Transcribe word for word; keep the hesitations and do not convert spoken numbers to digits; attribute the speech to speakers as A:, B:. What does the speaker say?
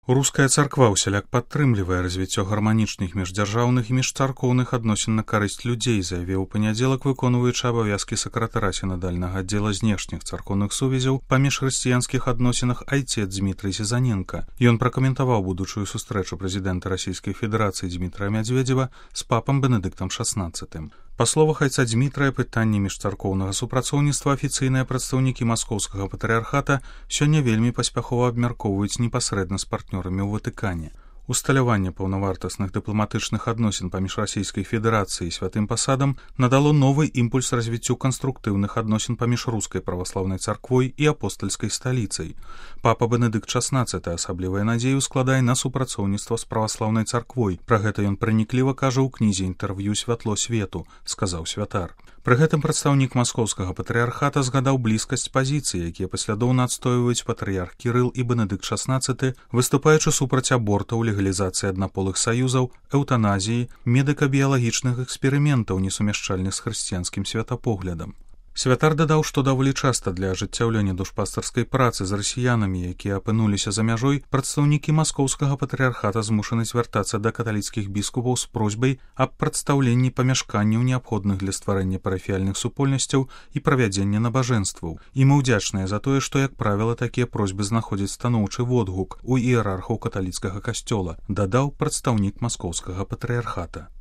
A: Руская царква ўсяляк падтрымлівае развіццё гарманічных міждзяржаўных і міжцаркоўных адносін на карысць людзей, заявіў у панядзелак выконваючы абавязкі сакратара сінадальнага аддзела знешніх царкоўных сувязяў па міжхрысціянскіх адносінах айцец Дмітрый Сезаненка. Ён пракаментаваў будучую сустрэчу прэзідэнта Расійскай Федэрацыі Дмітрая Мядзведзева з папам Бенедыктам шаснаццатым. Па словах айца Дмітрая, пытанні міжцаркоўнага супрацоўніцтва афіцыйныя прадстаўнікі маскоўскага патрыярхата сёння вельмі паспяхова абмяркоўваюць непасрэдна з партнёрамі ў Ватыкане. Усталяванне паўнавартасных дыпламатычных адносін паміж Расійскай Федэрацыяй і святым пасадам надало новы імпульс развіццю канструктыўных адносін паміж рускай праваслаўнай царквой і апостальскай сталіцай. Папа Бенедыкт шаснаццаты асаблівая надзею складае на супрацоўніцтва з праваслаўнай царквой. Пра гэта ён пранікліва кажа ў кнізе інтэрв'ю «Святло свету», сказаў святар. Пры гэтым прадстаўнік маскоўскага патрыярхата згадаў блізкасць пазіцый, якія паслядоўна адстойваюць патрыярх Кірыл і Бенедыкт шаснаццаты, выступаючы супраць абортаў, легалізацыі аднаполых саюзаў, эўтаназіі, медыка-біялагічных эксперыментаў, несумяшчальных з хрысціянскім святапоглядам. Святар дадаў, што даволі часта для ажыццяўлення душпастарскай працы з расіянамі, якія апынуліся за мяжой, прадстаўнікі маскоўскага патрыярхата змушаны звяртацца да каталіцкіх біскупаў з просьбай аб прадстаўленні памяшканняў, неабходных для стварэння парафіяльных супольнасцяў і правядзення набажэнстваў. І мы ўдзячныя за тое, што, як правіла, такія просьбы знаходзяць станоўчы водгук у іерархаў каталіцкага касцёла, дадаў прадстаўнік маскоўскага патрыярхата.